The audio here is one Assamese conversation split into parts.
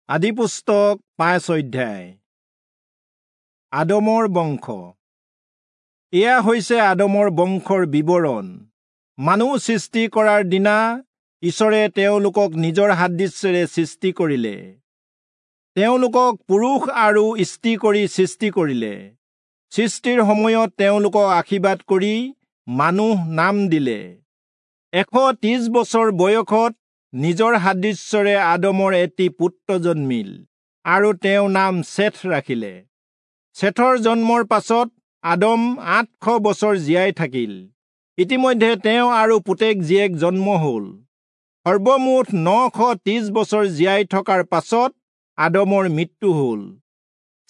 আদিপুস্তক 5 অধ্যায়। আদমৰ বংশ। এয়া হৈছে আদমৰ বংশৰ বিৱৰণ। মানুহ সৃষ্টি কৰাৰ দিনা ঈশ্বৰে তেওঁলোকক নিজৰ সাদৃশ্যেৰে সৃষ্টি কৰিলে। তেওঁলোকক পুৰুষ আৰু স্ত্ৰী কৰি সৃষ্টি কৰিলে। সৃষ্টিৰ সময়ত তেওঁলোকক আশীৰ্বাদ কৰি মানুহ নাম দিলে। 130 বছৰ বয়সত নিজৰ সাদৃশ্যৰে আদমৰ এটি পুত্ৰ জন্মিল আৰু তেওঁ নাম চেথ ৰাখিলে। চেথৰ জন্মৰ পাছত আদম 800 বছৰ জীয়াই থাকিল। ইতিমধ্যে তেওঁ আৰু পুতেক জীয়েক জন্ম হ'ল। সৰ্বমুঠ 930 বছৰ জীয়াই থকাৰ পাছত আদমৰ মৃত্যু হ'ল।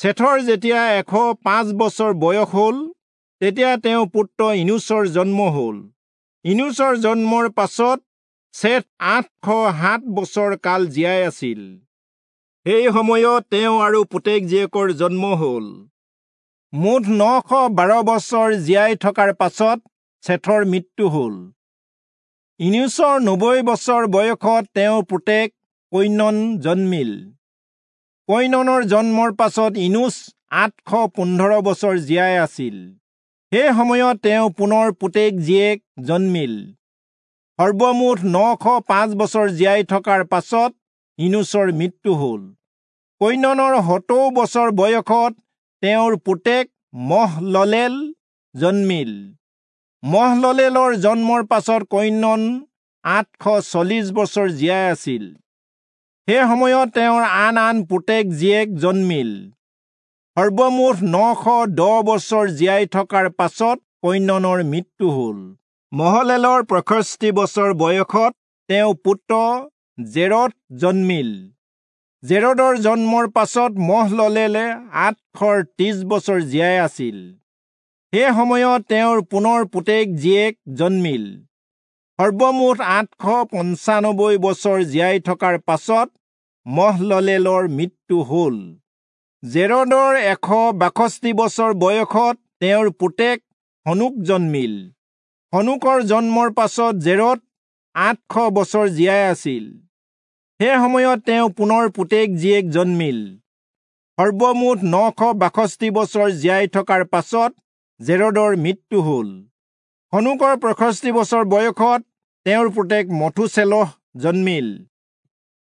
চেথৰ যেতিয়া 105 বছৰ বয়স হ'ল, তেতিয়া তেওঁ পুত্ৰ ইনুচৰ জন্ম হ'ল। ইনুচৰ জন্মৰ পাছত চেথ 807 বছৰ কাল জীয়াই আছিল। সেই সময়ত তেওঁ আৰু পুতেক জীয়েকৰ জন্ম হ'ল। মুঠ 912 বছৰ জীয়াই থকাৰ পাছত চেথৰ মৃত্যু হ'ল। ইনুচৰ 90 বছৰ বয়সত তেওঁৰ পুতেক কৈনন জন্মিল। কৈননৰ জন্মৰ পাছত ইনুচ 815 বছৰ জীয়াই আছিল। সেই সময়ত তেওঁ পুনৰ পুতেক জীয়েক জন্মিল। সৰ্বমুঠ 905 বছৰ জীয়াই থকাৰ পাছত ইনুচৰ মৃত্যু হ'ল। কৈননৰ 70 বছৰ বয়সত তেওঁৰ পুতেক মহললেল জন্মিল। মহললেলৰ জন্মৰ পাছত কৈনন 840 বছৰ জীয়াই আছিল। সেই সময়ত তেওঁৰ আন আন পুতেক জীয়েক জন্মিল। সৰ্বমুঠ 910 বছৰ জীয়াই থকাৰ পাছত কৈননৰ মৃত্যু হ'ল। মহলেলৰ 65 বছৰ বয়সত তেওঁ পুত্ৰ জেৰদ জন্মিল। জেৰদৰ জন্মৰ পাছত মহললেলে 830 বছৰ জীয়াই আছিল। সেই সময়ত তেওঁৰ পুনৰ পুতেক জীয়েক জন্মিল। সৰ্বমুঠ 895 বছৰ জীয়াই থকাৰ পাছত মহললেলৰ মৃত্যু হ'ল। জেৰদৰ 162 বছৰ বয়সত তেওঁৰ পুতেক হনোক জন্মিল। হনোকৰ জন্মৰ পাছত জেৰদ 800 বছৰ জীয়াই আছিল। সেই সময়ত তেওঁ পুনৰ পুতেক জীয়েক জন্মিল। সৰ্বমুঠ 962 বছৰ জীয়াই থকাৰ পাছত জেৰদৰ মৃত্যু হ'ল। হনোকৰ 65 বছৰ বয়সত তেওঁৰ পুতেক মথুচেলহ জন্মিল।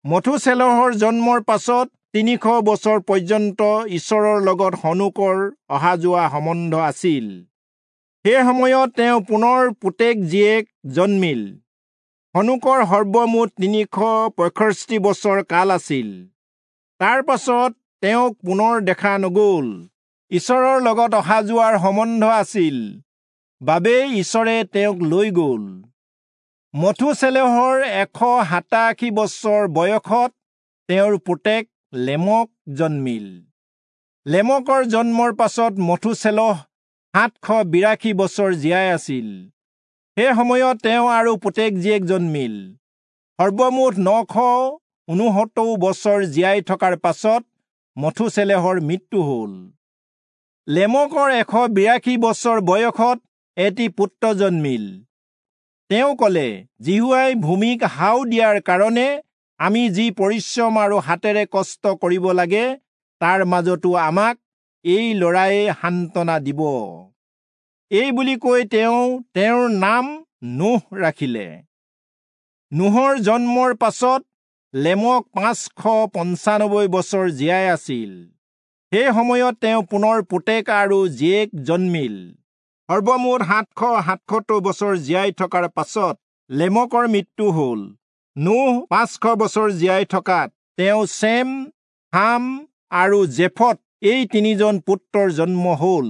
মথুচেলহৰ জন্মৰ পাছত 300 বছৰ পৰ্যন্ত ঈশ্বৰৰ লগত হনোকৰ অহা যোৱা সম্বন্ধ আছিল। সেই সময়ত তেওঁ পুনৰ পুতেক জীয়েক জন্মিল। হনোকৰ সৰ্বমুঠ 365 বছৰ কাল আছিল। তাৰ পাছত তেওঁক পুনৰ দেখা নগ'ল। ঈশ্বৰৰ লগত অহা যোৱাৰ সম্বন্ধ আছিল বাবেই ঈশ্বৰে তেওঁক লৈ গ'ল। মথুচেলহৰ 187 বছৰ বয়সত তেওঁৰ পুতেক লেমক জন্মিল। লেমকৰ জন্মৰ পাছত মথুচেলহ 782 বছৰ জীয়াই আছিল। সেই সময়ত তেওঁ আৰু পুতেক জীয়েক জন্মিল। সৰ্বমুঠ 969 বছৰ জীয়াই থকাৰ পাছত মথুচেলহৰ মৃত্যু হ'ল। লেমকৰ 182 বছৰ বয়সত এটি পুত্ৰ জন্মিল। তেওঁ ক'লে, যিহোৱাই ভূমিক হাও দিয়াৰ কাৰণে আমি যি পৰিশ্ৰম আৰু হাতেৰে কষ্ট কৰিব লাগে, তাৰ মাজতো আমাক এই ল'ৰায়ে সান্তনা দিব। এই বুলি কৈ তেওঁ তেওঁৰ নাম নোহ ৰাখিলে। নোহৰ জন্মৰ পাছত লেমক 595 বছৰ জীয়াই আছিল। সেই সময়ত তেওঁ পুনৰ পুতেক আৰু জীয়েক জন্মিল। সৰ্বমুঠ 777 বছৰ জীয়াই থকাৰ পাছত লেমকৰ মৃত্যু হ'ল। নোহ 500 বছৰ জীয়াই থকাত তেওঁ চেম, হাম আৰু জেফত এই তিনিজন পুত্ৰৰ জন্ম হ'ল।